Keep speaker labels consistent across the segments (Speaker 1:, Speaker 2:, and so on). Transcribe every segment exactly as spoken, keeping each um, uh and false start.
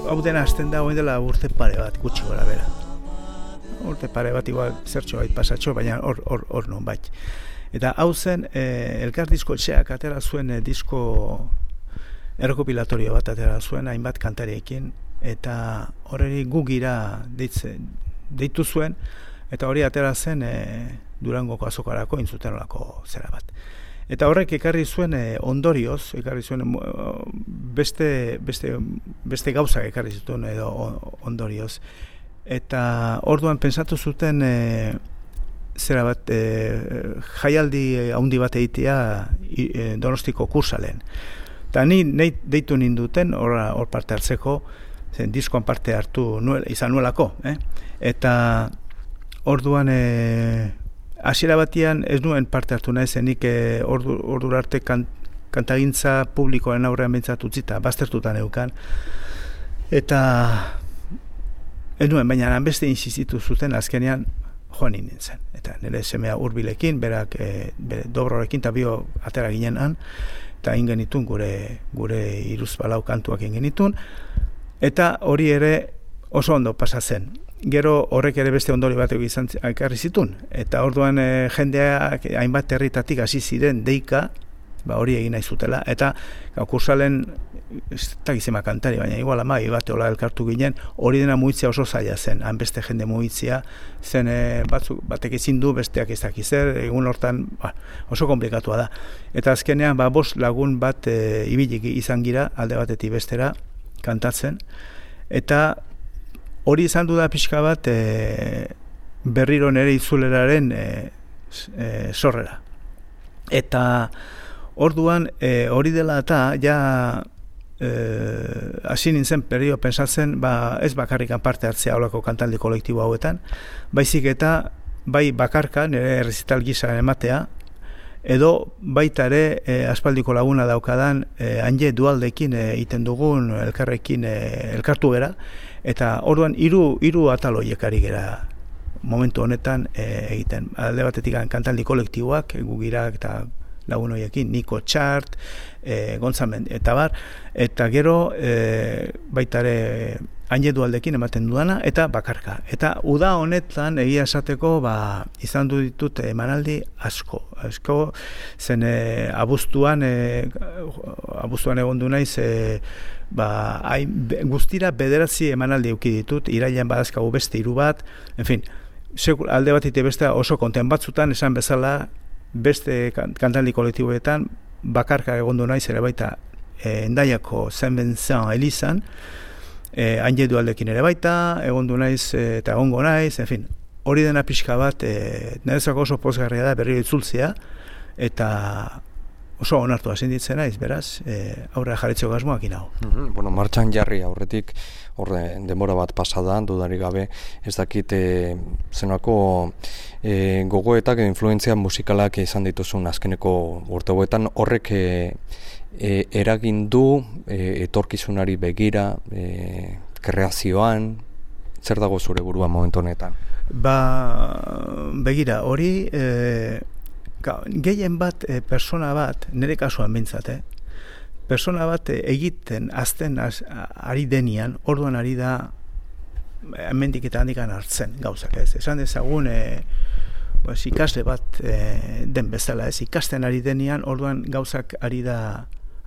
Speaker 1: hau dena hasten da, oin dela urte pare bat, gutxi gora bera. Urte pare bat, igual, zertxo bait pasatxo, baina hor, hor, hor non bait. Eta hau zen, e, Elkar disko etxeak atera zuen e, disko errekopilatorio bat atera zuen, hainbat kantariekin, eta horreri gugira deitze, deitu zuen, eta hori atera zen e, Durangoko azokarako intzuten olako zera bat. Eta horrek ekarri zuen e, ondorioz, ekarri zuen e, beste, beste, beste gauzak ekarri zuten edo ondorioz. Eta orduan pensatu zuten e, zera bat, e, jaialdi handi bat egitea e, Donostiko kursalen. Eta ni nahi deitu ninduten hor parte hartzeko, zen diskoan parte hartu nuel, izan nuelako. Eh? Eta orduan e, hasiera batian ez nuen parte hartu nahi zenik e, ordu, ordu arte kan, kantagintza publikoaren aurrean bintzat utzita, baztertutan eukan. Eta ez nuen, baina beste insistitu zuten azkenean joan nintzen. Eta nire semea hurbilekin, berak e, bere dobrorekin, eta bio atera ginen han, eta ingenitun gure, gure iruz balau kantuak ingenitun. Eta hori ere oso ondo pasatzen. Gero horrek ere beste ondori batek izan ekarri zitun. Eta orduan e, jendeak hainbat herritatik hasi ziren deika, ba hori egin nahi zutela. Eta kursalen, ez dakizema kantari, baina igual ama, bate hola elkartu ginen, hori dena mugitzea oso zaila zen. Han beste jende mugitzea, zen e, batzuk, batek ezin du, besteak ez dakizer, egun hortan ba, oso komplikatua da. Eta azkenean, ba, bost lagun bat e, ibilik izan gira, alde batetik bestera, kantatzen. Eta hori izan du da pixka bat e, berriro nere itzuleraren e, e, sorrera. Eta orduan e, hori dela eta ja hasi e, nintzen perio pensatzen ba, ez bakarrikan parte hartzea holako kantaldi kolektibo hauetan, baizik eta bai bakarka nire errezital gisa ematea, edo baita ere e, aspaldiko laguna daukadan e, Anje Dualdekin egiten dugun elkarrekin e, elkartu gera, eta orduan hiru hiru atal horiek ari gera momentu honetan e, egiten. Alde batetik kantaldi kolektiboak, gugirak eta lagun horiekin, Niko Txart, e, Gontzamen, eta bar, eta gero e, baita ere Anje Dualdekin ematen dudana, eta bakarka. Eta uda honetan egia esateko ba, izan du ditut emanaldi asko. Asko zen e, abuztuan, e, abuztuan egon du naiz, e, ba, hain, be, guztira bederatzi emanaldi euki ditut, irailean badazkagu beste hiru bat, en fin, sekul, alde bat ite beste oso konten batzutan, esan bezala, beste kantaldi kolektiboetan, bakarka egon du naiz ere baita e, Endaiako Saint Vincent Elizan, Eh, Anje Dualdekin ere baita, egondu naiz e, eta egongo naiz, en fin, hori dena pixka bat, e, nerezako oso pozgarria da berriro itzultzea, eta oso onartu hasi ditzen naiz, beraz, e, aurrera jarritzeko asmoak inau.
Speaker 2: Mm-hmm. Bueno, martxan jarri aurretik, horre, denbora bat pasadan, dudarik gabe, ez dakit e, zenako e, gogoetak edo influentzia musikalak izan dituzun azkeneko urtegoetan, horrek e, E, eragin du e, etorkizunari begira, e, kreazioan, zer dago zure buruan momentu honetan?
Speaker 1: Ba, begira, hori e, ga, gehien bat e, persona bat, nire kasuan bintzat, eh? persona bat e, egiten azten az, ari denian, orduan ari da hemendik eta handikan hartzen gauzak, ez? Esan dezagun e, pues, ikasle bat e, den bezala, ez? Ikasten ari denian, orduan gauzak ari da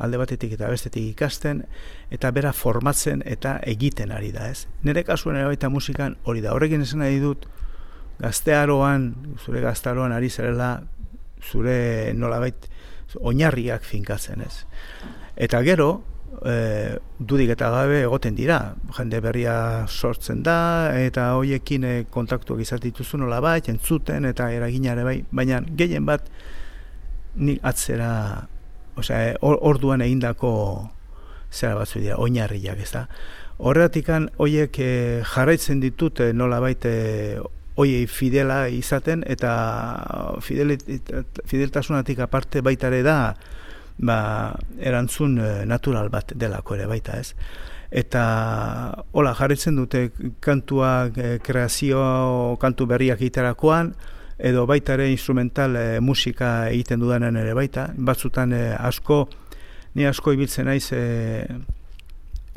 Speaker 1: alde batetik eta bestetik ikasten, eta bera formatzen eta egiten ari da, ez? Nire kasuen ere baita musikan hori da. Horrekin esan nahi dut, gaztearoan, zure gaztearoan ari zerela, zure nolabait oinarriak finkatzen, ez? Eta gero, e, dudik eta gabe egoten dira, jende berria sortzen da, eta hoiekin e, kontaktuak izatituzu nolabait, entzuten, eta eraginare bai, baina gehien bat nik atzera, osea, orduan egindako zera batzu dira, oinarriak, ez da. Horretikan, hoiek e, jarraitzen ditut e, nolabait e, hoiei fidela izaten, eta fideltasunatik aparte baita ere da, ba, erantzun e, natural bat delako ere baita, ez. Eta, hola, jarraitzen dute kantuak, e, kreazio, kantu berriak egiterakoan, edo baita ere instrumental e, musika egiten dudanen ere baita, batzutan e, asko, ni asko ibiltzen naiz e,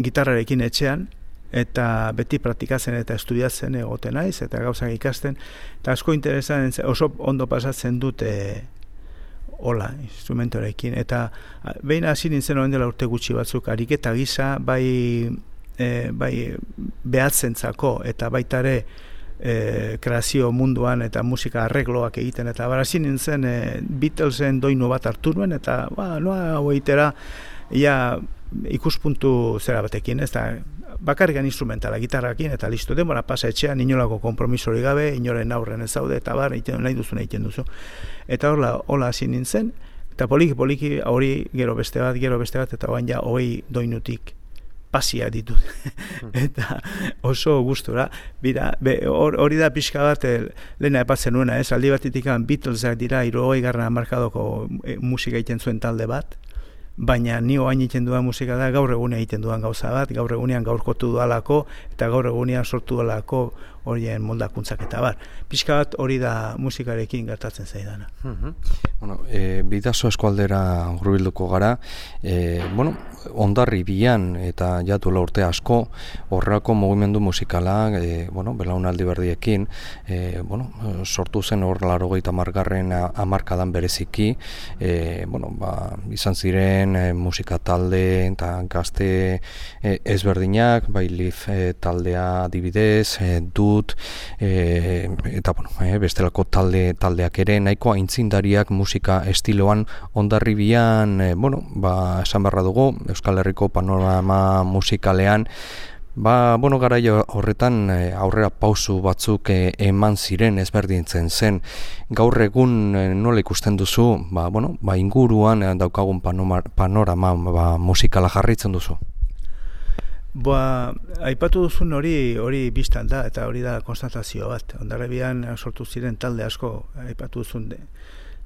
Speaker 1: gitarrarekin etxean, eta beti praktikatzen eta estudiatzen egoten naiz, eta gauzak ikasten, eta asko interesan, oso ondo pasatzen dut e, hola, instrumentorekin, eta behin hasi nintzen orain dela urte gutxi batzuk, ariketa gisa, bai, e, bai behatzentzako, eta baita ere e, kreazio munduan, eta musika arregloak egiten, eta bar, hasi nintzen e, Beatlesen doinu bat hartu nuen, eta ba, noa hau egitera, ia ikuspuntu zera batekin, ez da, bakarrikan instrumentala, gitarrakin, eta listo, denbora pasa etxean, inolako kompromisori gabe, inoren aurren ez zaude, eta bar, egiten, nahi duzu, egiten duzu. Eta horla, hola hasi nintzen, eta poliki, poliki, hori gero beste bat, gero beste bat, eta oain ja, hogei doinutik pasia ditut. Eta oso gustura, bira, hori da pixka bat, lehena epatzen nuena, ez, aldi batitik Beatlesak dira, hirurogei garren hamarkadako e, musika egiten zuen talde bat, baina ni oain egiten dudan musika da gaur egunean egiten dudan gauza bat, gaur egunean gaurkotu dudalako eta gaur egunean sortu dudalako horien moldakuntzak eta bar. Pixka bat hori da musikarekin gertatzen zaidana.
Speaker 2: Uh-huh. Bueno, e, Bidaso eskualdera hurbilduko gara, e, bueno, Hondarribian eta jatuela urte asko horrako mugimendu musikala, e, bueno, belaunaldi berdiekin, e, bueno, sortu zen hor laurogeita hamargarren hamarkadan bereziki, e, bueno, ba, izan ziren e, musika talde eta gazte e, ezberdinak, bai Lif e, taldea adibidez, e, dut, e, eta bueno, e, bestelako talde taldeak ere nahiko aintzindariak musika estiloan Hondarribian, e, bueno, ba, esan beharra dugu, Euskal Herriko panorama musikalean, ba, bueno, garaia horretan e, aurrera pausu batzuk e, eman ziren ezberdintzen zen. Gaur egun e, nola ikusten duzu, ba, bueno, ba, inguruan e, daukagun panorama, panorama ba, musikala jarraitzen duzu?
Speaker 1: Ba, aipatu duzun hori hori biztan da, eta hori da konstatazio bat. Hondarribian sortu ziren talde asko, aipatu duzun de,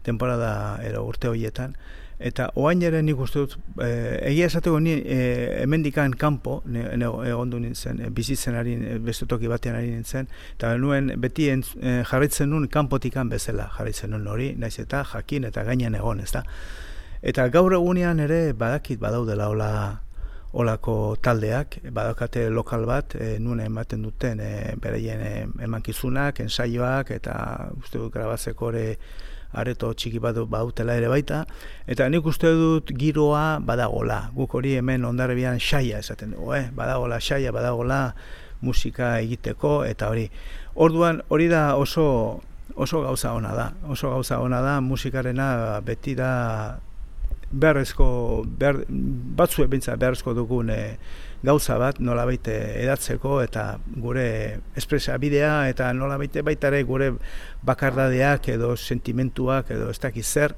Speaker 1: temporada ero urte horietan, eta oain ere nik uste dut, e, egia esateko ni e, hemendikan kanpo, egondu nintzen, e, bizitzen ari, beste toki batean ari nintzen, eta nuen beti entz, e, jarraitzen nuen kanpotikan bezala, jarraitzen nuen hori, naiz eta jakin eta gainean egon, ez da. Eta gaur egunean ere badakit badaudela hola olako taldeak, badaukate lokal bat, e, nuen ematen duten e, bereien e, emankizunak, ensaioak, eta uste dut grabatzeko ere areto txiki bat bautela ere baita, eta nik uste dut giroa badagola. Guk hori hemen Hondarribian xaia esaten dugu, eh? Badagola xaia, badagola musika egiteko, eta hori. Orduan, hori da oso, oso gauza ona da. Oso gauza ona da, musikarena beti da beharrezko, behar, batzu ebintza beharrezko dugun e, gauza bat, nolabait edatzeko eta gure espresa bidea eta nolabait baita ere gure bakardadeak edo sentimentuak edo ez dakiz zer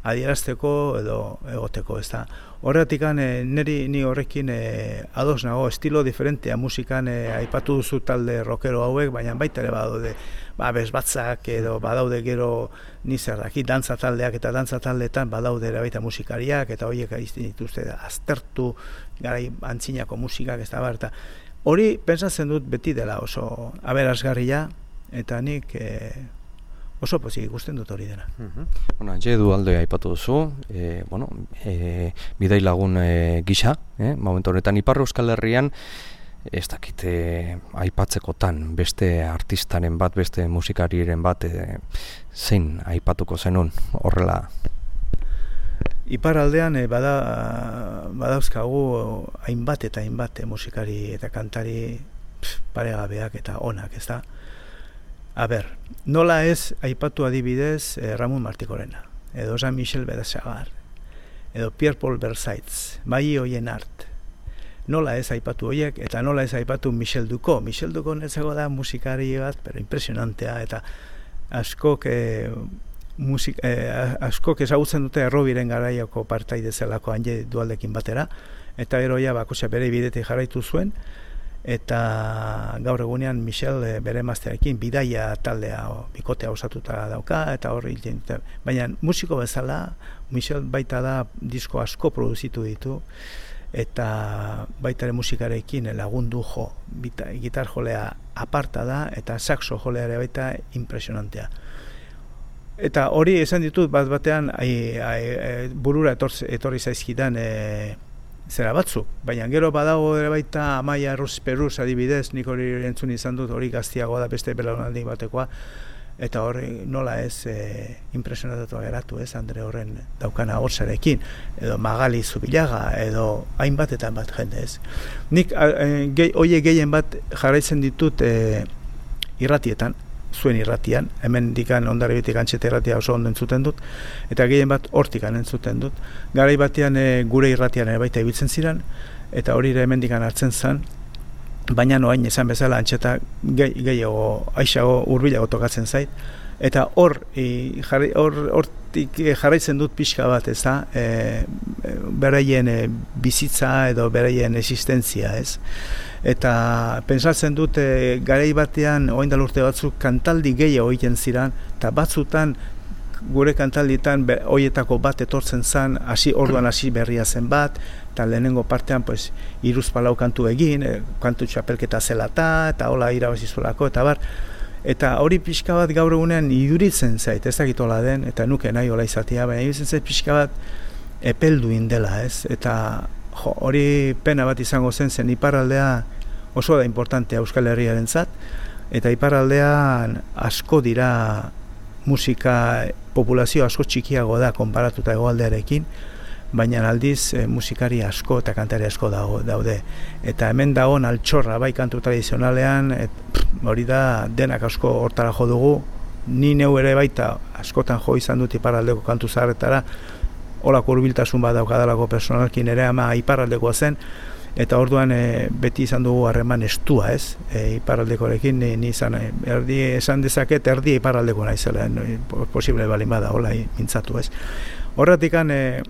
Speaker 1: adierazteko edo egoteko, ez da. Horretikan e, niri ni horrekin e, ados nago, estilo diferentea musikan e, aipatu duzu talde rockero hauek, baina baita ere badaude ba, bezbatzak edo badaude gero nizer daki, dantza taldeak eta dantza taldeetan badaude ere baita musikariak eta horiek aizten dituzte aztertu garai antzinako musikak ez da bar, eta hori pentsatzen dut beti dela oso aberasgarria eta nik e, oso pozik ikusten dut hori dena.
Speaker 2: Uh-huh. Bueno, jedu alde aipatu duzu, e, bueno, e, bidai lagun e, gisa, eh? Momentu honetan Ipar Euskal Herrian, ez dakite aipatzekotan beste artistaren bat, beste musikariren bat, e, zein aipatuko zenun horrela?
Speaker 1: Ipar aldean e, bada, badauzkagu hainbat eta hainbat e, musikari eta kantari pff, paregabeak eta onak, ez da? A ber, nola ez aipatu adibidez eh, Ramon Martikorena, edo Jean-Michel Bedesagar, edo Pierre-Paul Versailles, Mai Oienart. Nola ez aipatu horiek, eta nola ez aipatu Michel Ducot. Michel Ducot netzeko da musikari bat, pero impresionantea, eta askok, eh, musik, eh, askok ezagutzen dute errobiren garaiako partaide zelako hanje dualdekin batera, eta eroia bakoitza bere bidetik jarraitu zuen, eta gaur egunean Michel e, bere emaztearekin bidaia taldea o, bikotea osatuta dauka eta horri hilten dute. Baina musiko bezala Michel baita da disko asko produzitu ditu eta baita ere musikarekin lagundu jo, bita, gitar jolea aparta da eta saxo jolea ere baita impresionantea. Eta hori esan ditut bat batean ai, ai, burura etorri, etorri zaizkidan e, zera batzuk, baina gero badago ere baita Amaia Rus Perus adibidez, nik hori entzun izan dut, hori gaztiagoa da beste belaunaldi batekoa, eta hori nola ez e, impresionatu geratu, ez, Andre horren daukana hortzarekin, edo Magali Zubilaga, edo hainbat eta hainbat jende, ez. Nik e, ge, oie gehien bat jarraitzen ditut e, irratietan, zuen irratian, hemen dikan Hondarribitik Antxeta irratia oso ondo entzuten dut, eta gehien bat hortikan entzuten dut. Garai batean e, gure irratian ere baita ibiltzen ziren, eta hori ere hemen dikan hartzen zen, baina noain esan bezala Antxeta gehiago, aixago, hurbilago tokatzen zait, eta hor, e, jarri, hor hortik jarraitzen dut pixka bat, ez da, e, beraien e, bizitza edo beraien existentzia, ez? Eta pentsatzen dut e, garai batean orain dela urte batzuk kantaldi gehiago egiten ziren, eta batzutan gure kantalditan hoietako bat etortzen zen, hasi orduan hasi berria zen bat, eta lehenengo partean pues hiruz palau kantu egin, e, kantu txapelketa zelata, eta hola irabazi zuelako, eta bar, eta hori pixka bat gaur egunean iduritzen zait, ez dakit hola den, eta nuke nahi hola izatea, baina iduritzen zait pixka bat epelduin dela, ez, eta jo, hori pena bat izango zen, zen iparraldea oso da importantea Euskal Herriarentzat, eta iparraldean asko dira musika, populazio asko txikiago da konparatuta hegoaldearekin, baina aldiz e, musikari asko eta kantari asko dago, daude. Eta hemen dagoen altxorra bai kantu tradizionalean, et, pff, hori da denak asko hortara jo dugu, ni neu ere baita askotan jo izan dut iparraldeko kantu zaharretara, holako hurbiltasun bat daukadalako personalkin ere ama iparraldekoa zen, eta orduan e, beti izan dugu harreman estua, ez, e, iparraldekorekin, ni, ni izan, e, erdi, esan dezaket erdi iparraldeko naizela, no, posible balin bada, hola mintzatu, ez. Horratikan, e,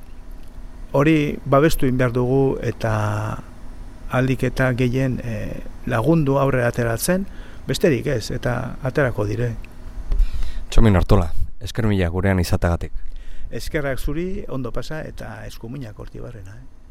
Speaker 1: hori babestu in behar dugu, eta aldik eta gehien e, lagundu aurrera ateratzen, besterik ez, eta aterako dire.
Speaker 2: Txomin Artola, esker mila gurean izatagatik.
Speaker 1: Eskerrak zuri, ondo pasa, eta eskuminak horti barrena, eh?